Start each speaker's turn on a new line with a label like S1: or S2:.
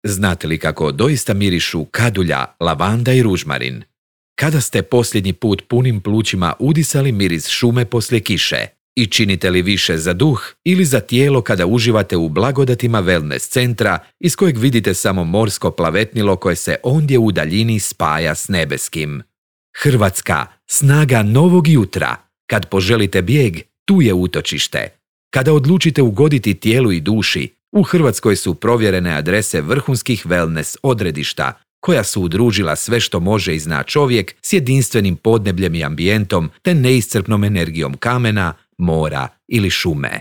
S1: Znate li kako doista mirišu kadulja, lavanda i ružmarin? Kada ste posljednji put punim plućima udisali miris šume poslije kiše? I činite li više za duh ili za tijelo kada uživate u blagodatima wellness centra iz kojeg vidite samo morsko plavetnilo koje se ondje u daljini spaja s nebeskim? Hrvatska, snaga novog jutra. Kad poželite bijeg, tu je utočište. Kada odlučite ugoditi tijelu i duši, u Hrvatskoj su provjerene adrese vrhunskih wellness odredišta, koja su udružila sve što može i zna čovjek s jedinstvenim podnebljem i ambijentom te neiscrpnom energijom kamena, mora ili šume.